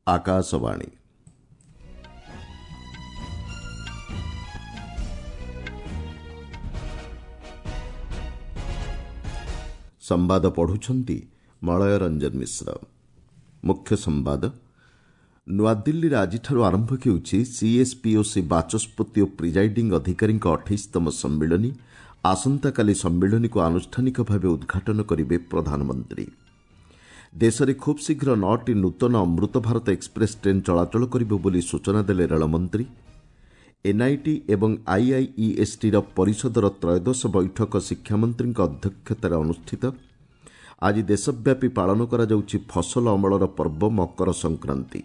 ଆକାଶବାଣୀ। ସମ୍ବାଦ ପଢୁଛନ୍ତି ମଳୟ ରଞ୍ଜନ ମିଶ୍ର। ମୁଖ୍ୟ ସମ୍ବାଦ। ନୂଆଦିଲ୍ଲୀରେ ଆଜିଠାରୁ ଆରମ୍ଭ ହେଉଛି ସିଏସ୍ପିଓସି ବାଚସ୍ପତି ଓ ପ୍ରିଜାଇଡିଂ ଅଧିକାରୀଙ୍କ 28ତମ ସମ୍ମିଳନୀ। ଆସନ୍ତାକାଲି ସମ୍ମିଳନୀକୁ ଆନୁଷ୍ଠାନିକ ଭାବେ ଉଦ୍ଘାଟନ କରିବେ ପ୍ରଧାନମନ୍ତ୍ରୀ। ଦେଶରେ ଖୁବ୍ ଶୀଘ୍ର 9ଟି ନୂତନ ଅମୃତ ଭାରତ ଏକ୍ସପ୍ରେସ୍ ଟ୍ରେନ୍ ଚଳାଚଳ କରିବ ବୋଲି ସୂଚନା ଦେଲେ ରେଳମନ୍ତ୍ରୀ। ଏନ୍ଆଇଟି ଏବଂ ଆଇଆଇଇଏସ୍ଟିର ପରିଷଦର ତ୍ରୟୋଦଶ ବୈଠକ ଶିକ୍ଷାମନ୍ତ୍ରୀଙ୍କ ଅଧ୍ୟକ୍ଷତାରେ ଅନୁଷ୍ଠିତ। ଆଜି ଦେଶବ୍ୟାପୀ ପାଳନ କରାଯାଉଛି ଫସଲ ଅମଳର ପର୍ବ ମକର ସଂକ୍ରାନ୍ତି।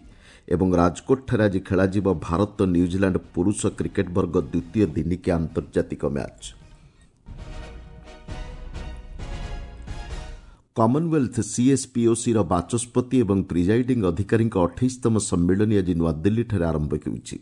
ଏବଂ ରାଜକୋଟଠାରେ ଆଜି ଖେଳାଯିବ ଭାରତ ନ୍ୟୁଜିଲାଣ୍ଡ ପୁରୁଷ କ୍ରିକେଟ୍ ବର୍ଗ ଦ୍ୱିତୀୟ ଦିନିକିଆ ଆନ୍ତର୍ଜାତିକ ମ୍ୟାଚ୍। କମନୱେଲ୍ଥ ସିଏସ୍ପିଓସିର ବାଚସ୍ପତି ଏବଂ ପ୍ରିଜାଇଡିଂ ଅଧିକାରୀଙ୍କ 28ତମ ସମ୍ମିଳନୀ ଆଜି ନୂଆଦିଲ୍ଲୀଠାରେ ଆରମ୍ଭ ହେଉଛି।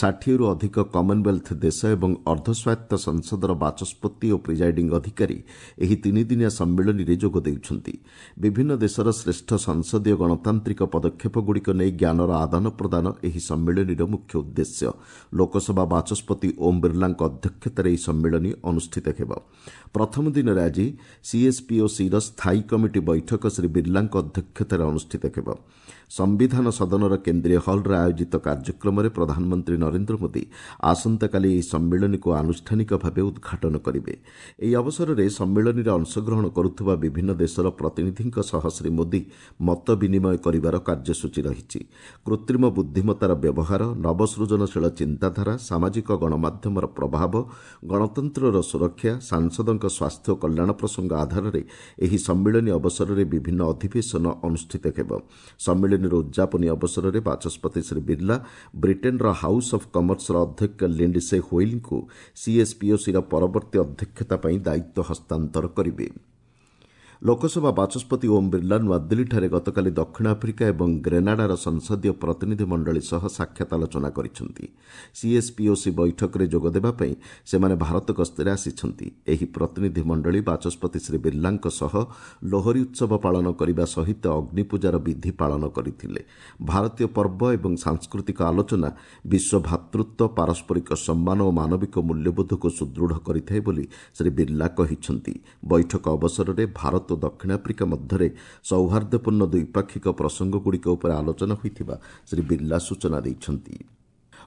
60ରୁ ଅଧିକ କମନୱେଲ୍ଥ ଦେଶ ଏବଂ ଅର୍ଦ୍ଧସ୍ୱାୟତ୍ତ ସଂସଦର ବାଚସ୍ପତି ଓ ପ୍ରିଜାଇଡିଂ ଅଧିକାରୀ ଏହି ତିନିଦିନିଆ ସମ୍ମିଳନୀରେ ଯୋଗ ଦେଉଛନ୍ତି। ବିଭିନ୍ନ ଦେଶର ଶ୍ରେଷ୍ଠ ସଂସଦୀୟ ଗଣତାନ୍ତ୍ରିକ ପଦକ୍ଷେପଗୁଡ଼ିକ ନେଇ ଜ୍ଞାନର ଆଦାନ ପ୍ରଦାନ ଏହି ସମ୍ମିଳନୀର ମୁଖ୍ୟ ଉଦ୍ଦେଶ୍ୟ। ଲୋକସଭା ବାଚସ୍ପତି ଓମ୍ ବିର୍ଲାଙ୍କ ଅଧ୍ୟକ୍ଷତାରେ ଏହି ସମ୍ମିଳନୀ ଅନୁଷ୍ଠିତ ହେବ। ପ୍ରଥମ ଦିନରେ ଆଜି ସିଏସ୍ପିଓସିର ସ୍ଥାୟୀ କମିଟି ବୈଠକ ଶ୍ରୀ ବିର୍ଲାଙ୍କ ଅଧ୍ୟକ୍ଷତାରେ ଅନୁଷ୍ଠିତ ହେବ। ସମ୍ବିଧାନ ସଦନର କେନ୍ଦ୍ରୀୟ ହଲ୍ରେ ଆୟୋଜିତ କାର୍ଯ୍ୟକ୍ରମରେ ପ୍ରଧାନମନ୍ତ୍ରୀ ନରେନ୍ଦ୍ର ମୋଦି ଆସନ୍ତାକାଲି ଏହି ସମ୍ମିଳନୀକୁ ଆନୁଷ୍ଠାନିକ ଭାବେ ଉଦ୍ଘାଟନ କରିବେ। ଏହି ଅବସରରେ ସମ୍ମିଳନୀରେ ଅଂଶଗ୍ରହଣ କରୁଥିବା ବିଭିନ୍ନ ଦେଶର ପ୍ରତିନିଧିଙ୍କ ସହ ଶ୍ରୀ ମୋଦି ମତ ବିନିମୟ କରିବାର କାର୍ଯ୍ୟସୂଚୀ ରହିଛି। କୃତ୍ରିମ ବୁଦ୍ଧିମତ୍ତାର ବ୍ୟବହାର, ନବସୃଜନଶୀଳ ଚିନ୍ତାଧାରା, ସାମାଜିକ ଗଣମାଧ୍ୟମର ପ୍ରଭାବ, ଗଣତନ୍ତ୍ରର ସୁରକ୍ଷା, ସାଂସଦଙ୍କ ସ୍ୱାସ୍ଥ୍ୟ ଓ କଲ୍ୟାଣ ପ୍ରସଙ୍ଗ ଆଧାରରେ ଏହି ସମ୍ମିଳନୀ ଅବସରରେ ବିଭିନ୍ନ ଅଧିବେଶନ ଅନୁଷ୍ଠିତ ହେବ। ସମ୍ମିଳନୀର ଉଦ୍ଯାପନୀ ଅବସରରେ ବାଚସ୍ପତି ଶ୍ରୀ ବିର୍ଲା ବ୍ରିଟେନ୍ର ହାଉସ୍ ଅଫ୍ କମର୍ସର ଅଧ୍ୟକ୍ଷ ଲିଣ୍ଡସେ ହୋଇଲ୍ଙ୍କୁ ସିଏସ୍ପିଓସିର ପରବର୍ତ୍ତୀ ଅଧ୍ୟକ୍ଷତା ପାଇଁ ଦାୟିତ୍ୱ ହସ୍ତାନ୍ତର କରିବେ। ଲୋକସଭା ବାଚସ୍ପତି ଓମ୍ ବିର୍ଲା ନୂଆଦିଲ୍ଲୀଠାରେ ଗତକାଲି ଦକ୍ଷିଣ ଆଫ୍ରିକା ଏବଂ ଗ୍ରେନାଡାର ସଂସଦୀୟ ପ୍ରତିନିଧି ମଣ୍ଡଳୀ ସହ ସାକ୍ଷାତ ଆଲୋଚନା କରିଛନ୍ତି। ସିଏସ୍ପିଓସି ବୈଠକରେ ଯୋଗଦେବା ପାଇଁ ସେମାନେ ଭାରତ ଗସ୍ତରେ ଆସିଛନ୍ତି। ଏହି ପ୍ରତିନିଧି ମଣ୍ଡଳୀ ବାଚସ୍ପତି ଶ୍ରୀ ବିର୍ଲାଙ୍କ ସହ ଲୋହରୀ ଉତ୍ସବ ପାଳନ କରିବା ସହିତ ଅଗ୍ନିପୂଜାର ବିଧି ପାଳନ କରିଥିଲେ। ଭାରତୀୟ ପର୍ବ ଏବଂ ସାଂସ୍କୃତିକ ଆଲୋଚନା ବିଶ୍ୱ ଭ୍ରାତୃତ୍ୱ, ପାରସ୍ପରିକ ସମ୍ମାନ ଓ ମାନବିକ ମୂଲ୍ୟବୋଧକୁ ସୁଦୃଢ଼ କରିଥାଏ ବୋଲି ଶ୍ରୀ ବିର୍ଲା କହିଛନ୍ତି। ବୈଠକ ଅବସରରେ ଭାରତ ଓ ଦକ୍ଷିଣ ଆଫ୍ରିକା ମଧ୍ୟରେ ସୌହାର୍ଦ୍ଦ୍ୟପୂର୍ଣ୍ଣ ଦ୍ୱିପାକ୍ଷିକ ପ୍ରସଙ୍ଗଗୁଡ଼ିକ ଉପରେ ଆଲୋଚନା ହୋଇଥିବା ଶ୍ରୀ ବିର୍ଲା ସୂଚନା ଦେଇଛନ୍ତି।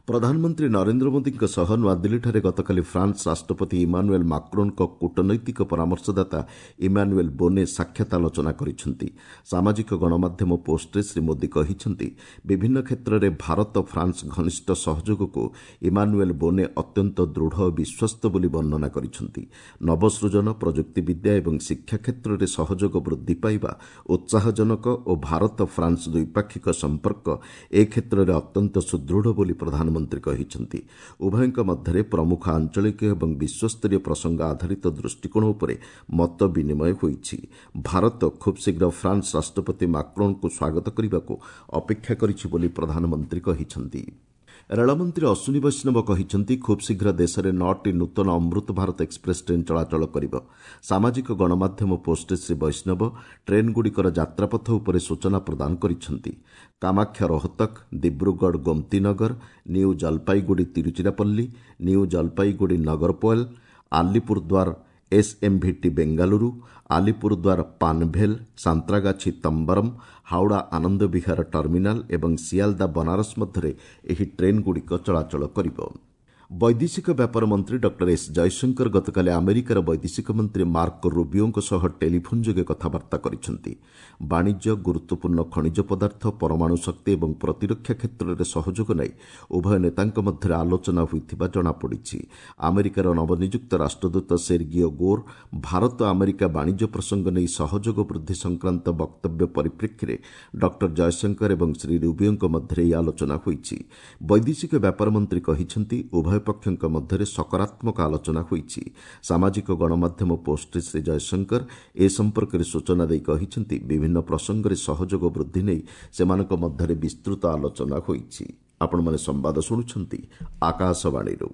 ପ୍ରଧାନମନ୍ତ୍ରୀ ନରେନ୍ଦ୍ର ମୋଦିଙ୍କ ସହ ନୂଆଦିଲ୍ଲୀଠାରେ ଗତକାଲି ଫ୍ରାନ୍ସ ରାଷ୍ଟ୍ରପତି ଇମାନୁଏଲ୍ ମାକ୍ରୋନ୍ଙ୍କ କୂଟନୈତିକ ପରାମର୍ଶଦାତା ଇମାନୁଏଲ୍ ବୋନେ ସାକ୍ଷାତ ଆଲୋଚନା କରିଛନ୍ତି। ସାମାଜିକ ଗଣମାଧ୍ୟମ ପୋଷ୍ଟରେ ଶ୍ରୀ ମୋଦି କହିଛନ୍ତି, ବିଭିନ୍ନ କ୍ଷେତ୍ରରେ ଭାରତ ଫ୍ରାନ୍ସ ଘନିଷ୍ଠ ସହଯୋଗକୁ ଇମାନୁଏଲ୍ ବୋନେ ଅତ୍ୟନ୍ତ ଦୃଢ଼ ଓ ବିଶ୍ୱସ୍ତ ବୋଲି ବର୍ଣ୍ଣନା କରିଛନ୍ତି। ନବସୃଜନ, ପ୍ରଯୁକ୍ତିବିଦ୍ୟା ଏବଂ ଶିକ୍ଷା କ୍ଷେତ୍ରରେ ସହଯୋଗ ବୃଦ୍ଧି ପାଇବା ଉତ୍ସାହଜନକ ଓ ଭାରତ ଫ୍ରାନ୍ସ ଦ୍ୱିପାକ୍ଷିକ ସମ୍ପର୍କ ଏ କ୍ଷେତ୍ରରେ ଅତ୍ୟନ୍ତ ସୁଦୃଢ଼ ବୋଲି ପ୍ରଧାନମନ୍ତ୍ରୀ କହିଛନ୍ତି। ଉଭୟଙ୍କ ମଧ୍ୟରେ ପ୍ରମୁଖ ଆଞ୍ଚଳିକ ଏବଂ ବିଶ୍ୱସ୍ତରୀୟ ପ୍ରସଙ୍ଗ ଆଧାରିତ ଦୃଷ୍ଟିକୋଣ ଉପରେ ମତ ବିନିମୟ ହୋଇଛି। ଭାରତ ଖୁବ୍ ଶୀଘ୍ର ଫ୍ରାନ୍ସ ରାଷ୍ଟ୍ରପତି ମାକ୍ରୋନ୍ଙ୍କୁ ସ୍ୱାଗତ କରିବାକୁ ଅପେକ୍ଷା କରିଛି ବୋଲି ପ୍ରଧାନମନ୍ତ୍ରୀ କହିଛନ୍ତି। ରେଳମନ୍ତ୍ରୀ ଅଶ୍ୱିନୀ ବୈଷ୍ଣବ କହିଛନ୍ତି, ଖୁବ୍ ଶୀଘ୍ର ଦେଶରେ 9ଟି ନୂତନ ଅମୃତ ଭାରତ ଏକ୍ସପ୍ରେସ୍ ଟ୍ରେନ୍ ଚଳାଚଳ କରିବ। ସାମାଜିକ ଗଣମାଧ୍ୟମ ପୋଷ୍ଟରେ ଶ୍ରୀ ବୈଷ୍ଣବ ଟ୍ରେନ୍ଗୁଡ଼ିକର ଯାତ୍ରାପଥ ଉପରେ ସୂଚନା ପ୍ରଦାନ କରିଛନ୍ତି। Kamakhya Rohtak, Dibrugarh Gomtinagar, New Jalpaiguri Tiruchirappalli, New Jalpaiguri Nagercoil, Alipurduar SMVT Bengaluru, Alipurduar Panvel, Santragachi Tambaram, Howrah Anand Vihar terminal ଏବଂ ସିଆଲଦା ବନାରସ ମଧ୍ୟରେ ଏହି ଟ୍ରେନ୍ଗୁଡ଼ିକ ଚଳାଚଳ କରିବ। ବୈଦେଶିକ ବ୍ୟାପାର ମନ୍ତ୍ରୀ ଡକ୍ଟର ଏସ୍ ଜୟଶଙ୍କର ଗତକାଲି ଆମେରିକାର ବୈଦେଶିକ ମନ୍ତ୍ରୀ ମାର୍କ ରୁବିଓଙ୍କ ସହ ଟେଲିଫୋନ୍ ଯୋଗେ କଥାବାର୍ତ୍ତା କରିଛନ୍ତି। ବାଣିଜ୍ୟ, ଗୁରୁତ୍ୱପୂର୍ଣ୍ଣ ଖଣିଜ ପଦାର୍ଥ, ପରମାଣୁ ଶକ୍ତି ଏବଂ ପ୍ରତିରକ୍ଷା କ୍ଷେତ୍ରରେ ସହଯୋଗ ନେଇ ଉଭୟ ନେତାଙ୍କ ମଧ୍ୟରେ ଆଲୋଚନା ହୋଇଥିବା ଜଣାପଡ଼ିଛି। ଆମେରିକାର ନବନିଯୁକ୍ତ ରାଷ୍ଟ୍ରଦୂତ ସେର୍ଗିଓ ଗୋର୍ ଭାରତ ଆମେରିକା ବାଣିଜ୍ୟ ପ୍ରସଙ୍ଗ ନେଇ ସହଯୋଗ ବୃଦ୍ଧି ସଂକ୍ରାନ୍ତ ବକ୍ତବ୍ୟ ପରିପ୍ରେକ୍ଷୀରେ ଡକ୍ଟର ଜୟଶଙ୍କର ଏବଂ ଶ୍ରୀ ରୁବିଓଙ୍କ ମଧ୍ୟରେ ଏହି ଆଲୋଚନା ହୋଇଛି। ବୈଦେଶିକ ବ୍ୟାପାର ମନ୍ତ୍ରୀ କହିଛନ୍ତି, ଉଭୟ ପକ୍ଷଙ୍କ ମଧ୍ୟରେ ସକାରାତ୍ମକ ଆଲୋଚନା ହୋଇଛି। ସାମାଜିକ ଗଣମାଧ୍ୟମ ପୋଷ୍ଟରେ ଶ୍ରୀ ଜୟଶଙ୍କର ଏ ସମ୍ପର୍କରେ ସୂଚନା ଦେଇ କହିଛନ୍ତି, ବିଭିନ୍ନ ପ୍ରସଙ୍ଗରେ ସହଯୋଗ ବୃଦ୍ଧି ନେଇ ସେମାନଙ୍କ ମଧ୍ୟରେ ବିସ୍ତୃତ ଆଲୋଚନା ହୋଇଛି। ଆପଣମାନେ ସମ୍ବାଦ ଶୁଣୁଛନ୍ତି ଆକାଶବାଣୀରୁ।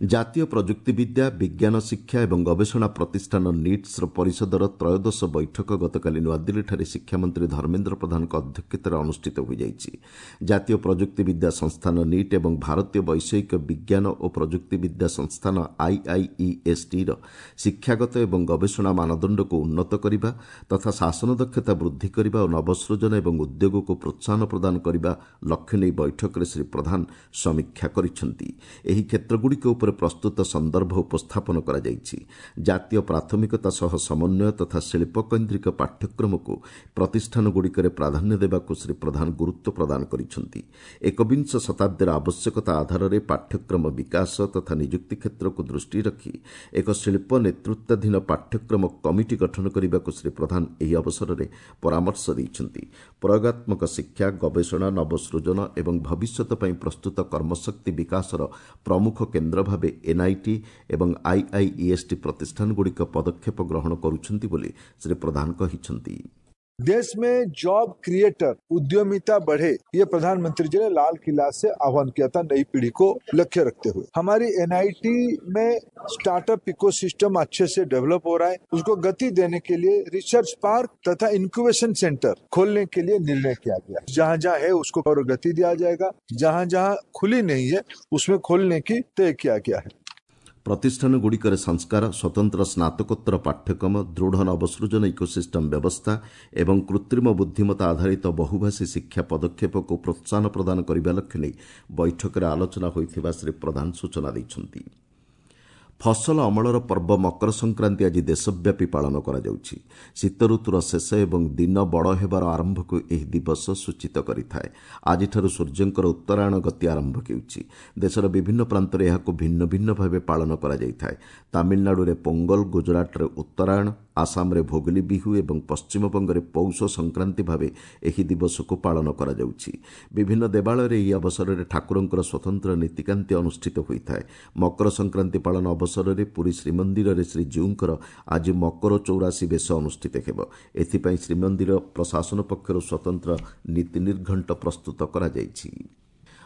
ଜାତୀୟ ପ୍ରଯୁକ୍ତିବିଦ୍ୟା, ବିଜ୍ଞାନ ଶିକ୍ଷା ଏବଂ ଗବେଷଣା ପ୍ରତିଷ୍ଠାନ ନିଟ୍ସର ପରିଷଦର ତ୍ରୟୋଦଶ ବୈଠକ ଗତକାଲି ନୂଆଦିଲ୍ଲୀଠାରେ ଶିକ୍ଷାମନ୍ତ୍ରୀ ଧର୍ମେନ୍ଦ୍ର ପ୍ରଧାନଙ୍କ ଅଧ୍ୟକ୍ଷତାରେ ଅନୁଷ୍ଠିତ ହୋଇଯାଇଛି। ଜାତୀୟ ପ୍ରଯୁକ୍ତିବିଦ୍ୟା ସଂସ୍ଥାନ ନିଟ୍ ଏବଂ ଭାରତୀୟ ବୈଷୟିକ ବିଜ୍ଞାନ ଓ ପ୍ରଯୁକ୍ତିବିଦ୍ୟା ସଂସ୍ଥାନ ଆଇଆଇଇଏସ୍ଟିର ଶିକ୍ଷାଗତ ଏବଂ ଗବେଷଣା ମାନଦଣ୍ଡକୁ ଉନ୍ନତ କରିବା ତଥା ଶାସନ ଦକ୍ଷତା ବୃଦ୍ଧି କରିବା ଓ ନବସୃଜନ ଏବଂ ଉଦ୍ୟୋଗକୁ ପ୍ରୋତ୍ସାହନ ପ୍ରଦାନ କରିବା ଲକ୍ଷ୍ୟ ନେଇ ବୈଠକରେ ଶ୍ରୀ ପ୍ରଧାନ ସମୀକ୍ଷା କରିଛନ୍ତି। ଏହି କ୍ଷେତ୍ରଗୁଡ଼ିକ ଉପରେ ପ୍ରସ୍ତୁତ ସନ୍ଦର୍ଭ ଉପସ୍ଥାପନ କରାଯାଇଛି। ଜାତୀୟ ପ୍ରାଥମିକତା ସହ ସମନ୍ୱୟ ତଥା ଶିଳ୍ପକୈନ୍ଦ୍ରିକ ପାଠ୍ୟକ୍ରମକୁ ପ୍ରତିଷ୍ଠାନଗୁଡ଼ିକରେ ପ୍ରାଧାନ୍ୟ ଦେବାକୁ ଶ୍ରୀ ପ୍ରଧାନ ଗୁରୁତ୍ୱ ପ୍ରଦାନ କରିଛନ୍ତି। ଏକବିଂଶ ଶତାବ୍ଦୀର ଆବଶ୍ୟକତା ଆଧାରରେ ପାଠ୍ୟକ୍ରମ ବିକାଶ ତଥା ନିଯୁକ୍ତି କ୍ଷେତ୍ରକୁ ଦୃଷ୍ଟିରେ ରଖି ଏକ ଶିଳ୍ପ ନେତୃତ୍ୱାଧୀନ ପାଠ୍ୟକ୍ରମ କମିଟି ଗଠନ କରିବାକୁ ଶ୍ରୀ ପ୍ରଧାନ ଏହି ଅବସରରେ ପରାମର୍ଶ ଦେଇଛନ୍ତି। ପ୍ରୟୋଗାତ୍ମକ ଶିକ୍ଷା, ଗବେଷଣା, ନବସୃଜନ ଏବଂ ଭବିଷ୍ୟତ ପାଇଁ ପ୍ରସ୍ତୁତ କର୍ମଶକ୍ତି ବିକାଶର ପ୍ରମୁଖ କେନ୍ଦ୍ର ଭାବେ ଏନ୍ଆଇଟି ଏବଂ ଆଇଆଇଇଏସ୍ଟି ପ୍ରତିଷ୍ଠାନଗୁଡ଼ିକ ପଦକ୍ଷେପ ଗ୍ରହଣ କରୁଛନ୍ତି ବୋଲି ଶ୍ରୀ ପ୍ରଧାନ କହିଛନ୍ତି। देश में जॉब क्रिएटर उद्यमिता बढ़े, ये प्रधानमंत्री जी ने लाल किला से आह्वान किया था नई पीढ़ी को लक्ष्य रखते हुए। हमारी एनआईटी में स्टार्टअप इकोसिस्टम अच्छे से डेवलप हो रहा है, उसको गति देने के लिए रिसर्च पार्क तथा इंक्यूबेशन सेंटर खोलने के लिए निर्णय किया गया। जहाँ जहाँ है उसको और गति दिया जाएगा, जहाँ जहाँ खुली नहीं है उसमें खोलने की तय किया गया है। ପ୍ରତିଷ୍ଠାନଗୁଡ଼ିକରେ ସଂସ୍କାର, ସ୍ୱତନ୍ତ୍ର ସ୍ନାତକୋତ୍ତର ପାଠ୍ୟକ୍ରମ, ଦୃଢ଼ ନବସୃଜନ ଇକୋସିଷ୍ଟମ୍ ବ୍ୟବସ୍ଥା ଏବଂ କୃତ୍ରିମ ବୁଦ୍ଧିମତ୍ତା ଆଧାରିତ ବହୁଭାଷୀ ଶିକ୍ଷା ପଦକ୍ଷେପକୁ ପ୍ରୋତ୍ସାହନ ପ୍ରଦାନ କରିବା ଲକ୍ଷ୍ୟ ନେଇ ବୈଠକରେ ଆଲୋଚନା ହୋଇଥିବା ଶ୍ରୀ ପ୍ରଧାନ ସୂଚନା ଦେଇଛନ୍ତି। ଫସଲ ଅମଳର ପର୍ବ ମକର ସଂକ୍ରାନ୍ତି ଆଜି ଦେଶବ୍ୟାପୀ ପାଳନ କରାଯାଉଛି। ଶୀତ ଋତୁର ଶେଷ ଏବଂ ଦିନ ବଡ଼ ହେବାର ଆରମ୍ଭକୁ ଏହି ଦିବସ ସୂଚିତ କରିଥାଏ। ଆଜିଠାରୁ ସୂର୍ଯ୍ୟଙ୍କର ଉତ୍ତରାୟଣ ଗତି ଆରମ୍ଭ ହେଉଛି। ଦେଶର ବିଭିନ୍ନ ପ୍ରାନ୍ତରେ ଏହାକୁ ଭିନ୍ନ ଭିନ୍ନ ଭାବେ ପାଳନ କରାଯାଇଥାଏ। ତାମିଲନାଡୁରେ ପୋଙ୍ଗଲ, ଗୁଜରାଟରେ ଉତ୍ତରାୟଣ, ଆସାମରେ ଭୋଗଲି ବିହୁ ଏବଂ ପଶ୍ଚିମବଙ୍ଗରେ ପୌଷ ସଂକ୍ରାନ୍ତି ଭାବେ ଏହି ଦିବସକୁ ପାଳନ କରାଯାଉଛି। ବିଭିନ୍ନ ଦେବାଳୟରେ ଏହି ଅବସରରେ ଠାକୁରଙ୍କର ସ୍ୱତନ୍ତ୍ର ନୀତିକାନ୍ତି ଅନୁଷ୍ଠିତ ହୋଇଥାଏ। ମକର ସଂକ୍ରାନ୍ତି ପାଳନ ଅବସରରେ ପୁରୀ ଶ୍ରୀମନ୍ଦିରରେ ଶ୍ରୀଜୀଉଙ୍କର ଆଜି ମକର 84 ବେଶ ଅନୁଷ୍ଠିତ ହେବ। ଏଥିପାଇଁ ଶ୍ରୀମନ୍ଦିର ପ୍ରଶାସନ ପକ୍ଷରୁ ସ୍ୱତନ୍ତ୍ର ନୀତି ନିର୍ଘଣ୍ଟ ପ୍ରସ୍ତୁତ କରାଯାଇଛି।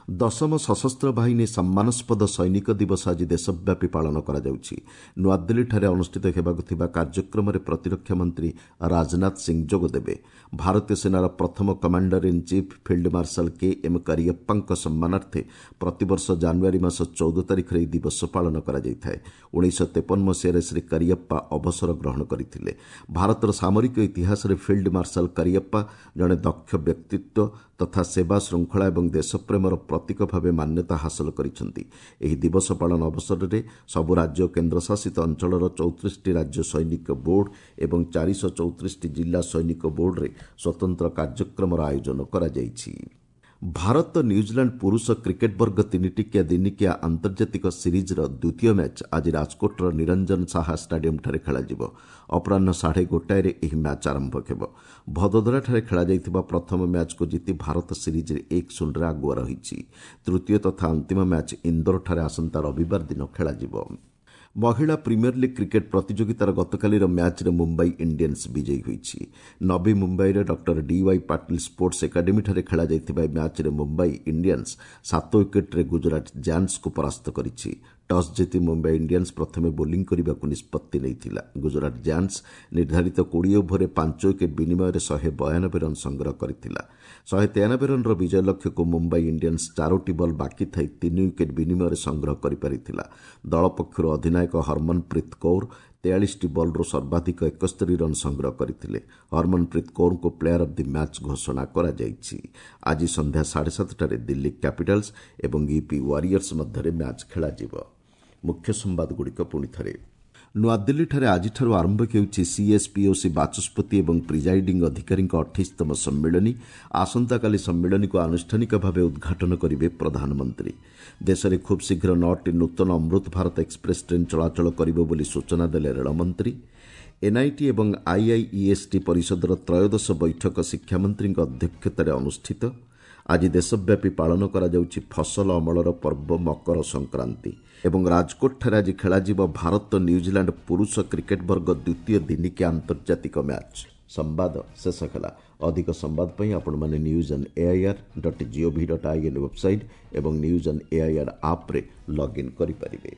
ଦଶମ ସଶସ୍ତ୍ର ବାହିନୀ ସମ୍ମାନାସ୍ପଦ ସୈନିକ ଦିବସ ଆଜି ଦେଶବ୍ୟାପୀ ପାଳନ କରାଯାଉଛି। ନୂଆଦିଲ୍ଲୀଠାରେ ଅନୁଷ୍ଠିତ ହେବାକୁ ଥିବା କାର୍ଯ୍ୟକ୍ରମରେ ପ୍ରତିରକ୍ଷା ମନ୍ତ୍ରୀ ରାଜନାଥ ସିଂ ଯୋଗଦେବେ। ଭାରତୀୟ ସେନାର ପ୍ରଥମ commander in chief field marshal K M କରିୟପ୍ପାଙ୍କ ସମ୍ମାନାର୍ଥେ ପ୍ରତିବର୍ଷ ଜାନୁଆରୀ ମାସ 14 ତାରିଖରେ ଏହି ଦିବସ ପାଳନ କରାଯାଇଥାଏ। 1953 ମସିହାରେ ଶ୍ରୀ କରିୟପ୍ପା ଅବସର ଗ୍ରହଣ କରିଥିଲେ। ଭାରତର ସାମରିକ ଇତିହାସରେ ଫିଲ୍ଡ ମାର୍ଶାଲ କରିୟପ୍ପା ଜଣେ ଦକ୍ଷ ବ୍ୟକ୍ତିତ୍ୱ ତଥା ସେବା, ଶୃଙ୍ଖଳା ଏବଂ ଦେଶପ୍ରେମର ପ୍ରତୀକ ଭାବେ ମାନ୍ୟତା ହାସଲ କରିଛନ୍ତି। ଏହି ଦିବସ ପାଳନ ଅବସରରେ ସବୁ ରାଜ୍ୟ ଓ କେନ୍ଦ୍ରଶାସିତ ଅଞ୍ଚଳର 34ଟି ରାଜ୍ୟ ସୈନିକ ବୋର୍ଡ ଏବଂ 434ଟି ଜିଲ୍ଲା ସୈନିକ ବୋର୍ଡରେ ସ୍ୱତନ୍ତ୍ର କାର୍ଯ୍ୟକ୍ରମର ଆୟୋଜନ କରାଯାଇଛି। ଭାରତ ନ୍ୟୁଜିଲାଣ୍ଡ ପୁରୁଷ କ୍ରିକେଟ୍ ବର୍ଗ 3 ଟିକିଆ ଦିନିକିଆ ଆନ୍ତର୍ଜାତିକ ସିରିଜ୍ର ଦ୍ୱିତୀୟ ମ୍ୟାଚ୍ ଆଜି ରାଜକୋଟର ନିରଞ୍ଜନ ସାହା ଷ୍ଟାଡିୟମ୍ଠାରେ ଖେଳାଯିବ। ଅପରାହ୍ନ 1:30ରେ ଏହି ମ୍ୟାଚ୍ ଆରମ୍ଭ ହେବ। ଭଦୋଦରାଠାରେ ଖେଳାଯାଇଥିବା ପ୍ରଥମ ମ୍ୟାଚ୍କୁ ଜିତି ଭାରତ ସିରିଜ୍ରେ 1-0ରେ ଆଗୁଆ ରହିଛି। ତୃତୀୟ ତଥା ଅନ୍ତିମ ମ୍ୟାଚ୍ ଇନ୍ଦୋରଠାରେ ଆସନ୍ତା ରବିବାର ଦିନ ଖେଳାଯିବ। ମହିଳା ପ୍ରିମିୟର ଲିଗ୍ କ୍ରିକେଟ୍ ପ୍ରତିଯୋଗିତାର ଗତକାଲିର ମ୍ୟାଚ୍ରେ ମୁମ୍ବାଇ ଇଣ୍ଡିଆନ୍ସ ବିଜୟୀ ହୋଇଛି। ନବୀ ମୁମ୍ବାଇର ଡକ୍ଟର ଡିୱାଇ ପାଟିଲ ସ୍ପୋର୍ଟସ ଏକାଡେମୀଠାରେ ଖେଳାଯାଇଥିବା ଏହି ମ୍ୟାଚ୍ରେ ମୁମ୍ବାଇ ଇଣ୍ଡିଆନ୍ସ 7 ୱିକେଟ୍ରେ ଗୁଜରାଟ ଜାୟାଣ୍ଟସ୍କୁ ପରାସ୍ତ କରିଛି। ଟସ୍ ଜିତି ମୁମ୍ବାଇ ଇଣ୍ଡିଆନ୍ସ ପ୍ରଥମେ ବୋଲିଂ କରିବାକୁ ନିଷ୍ପତ୍ତି ନେଇଥିଲା। ଗୁଜରାଟ ଜାୟାଣ୍ଟସ୍ ନିର୍ଦ୍ଧାରିତ 20 ଓଭରରେ 5 ୱିକେଟ୍ ବିନିମୟରେ 192 ରନ୍ ସଂଗ୍ରହ କରିଥିଲା। 193 ରନ୍ର ବିଜୟ ଲକ୍ଷ୍ୟକୁ ମୁମ୍ବାଇ ଇଣ୍ଡିଆନ୍ସ 4ଟି ବଲ୍ ବାକି ଥାଇ 3 ୱିକେଟ୍ ବିନିମୟରେ ସଂଗ୍ରହ କରିପାରିଥିଲା। ଦଳ ପକ୍ଷରୁ ଅଧିନାୟକ ହରମନପ୍ରୀତ କୌର 43ଟି ବଲ୍ରୁ ସର୍ବାଧିକ 71 ରନ୍ ସଂଗ୍ରହ କରିଥିଲେ। ହରମନପ୍ରୀତ କୌରଙ୍କୁ ପ୍ଲେୟାର ଅଫ୍ the match ଘୋଷଣା କରାଯାଇଛି। ଆଜି ସନ୍ଧ୍ୟା 7:30ରେ ଦିଲ୍ଲୀ କ୍ୟାପିଟାଲ୍ସ ଏବଂ ୟୁପି ୱାରିୟର୍ସ ମଧ୍ୟରେ ମ୍ୟାଚ୍ ଖେଳାଯିବ। ମୁଖ୍ୟ ସମ୍ବାଦଗୁଡ଼ିକ ପୁଣି ଥରେ। ନୂଆଦିଲ୍ଲୀଠାରେ ଆଜିଠାରୁ ଆରମ୍ଭ ହେଉଛି ସିଏସ୍ପିଓସି ବାଚସ୍ପତି ଏବଂ ପ୍ରିଜାଇଡିଂ ଅଧିକାରୀଙ୍କ 28ତମ ସମ୍ମିଳନୀ। ଆସନ୍ତାକାଲି ସମ୍ମିଳନୀକୁ ଆନୁଷ୍ଠାନିକ ଭାବେ ଉଦ୍ଘାଟନ କରିବେ ପ୍ରଧାନମନ୍ତ୍ରୀ। ଦେଶରେ ଖୁବ୍ ଶୀଘ୍ର 9ଟି ନୂତନ ଅମୃତ ଭାରତ ଏକ୍ସପ୍ରେସ୍ ଟ୍ରେନ୍ ଚଳାଚଳ କରିବ ବୋଲି ସୂଚନା ଦେଲେ ରେଳମନ୍ତ୍ରୀ। ଏନ୍ଆଇଟି ଏବଂ ଆଇଆଇଇଏସ୍ଟି ପରିଷଦର ତ୍ରୟୋଦଶ ବୈଠକ ଶିକ୍ଷାମନ୍ତ୍ରୀଙ୍କ ଅଧ୍ୟକ୍ଷତାରେ ଅନୁଷ୍ଠିତ। ଆଜି ଦେଶବ୍ୟାପୀ ପାଳନ କରାଯାଉଛି ଫସଲ ଅମଳର ପର୍ବ ମକର ସଂକ୍ରାନ୍ତି। ଏବଂ ରାଜକୋଟଠାରେ ଆଜି ଖେଳାଯିବ ଭାରତ ନ୍ୟୁଜିଲାଣ୍ଡ ପୁରୁଷ କ୍ରିକେଟ୍ ବର୍ଗ ଦ୍ୱିତୀୟ ଦିନିକିଆ ଆନ୍ତର୍ଜାତିକ ମ୍ୟାଚ୍। ସମ୍ବାଦ ଶେଷ ହେଲା। ଅଧିକ ସମ୍ବାଦ ପାଇଁ ଆପଣମାନେ news on AIR dot GOV dot IN website ଏବଂ ନ୍ୟୁଜ୍ ଅନ୍ ଏଆଇଆର୍ ଆପ୍ରେ ଲଗ୍ଇନ୍ କରିପାରିବେ।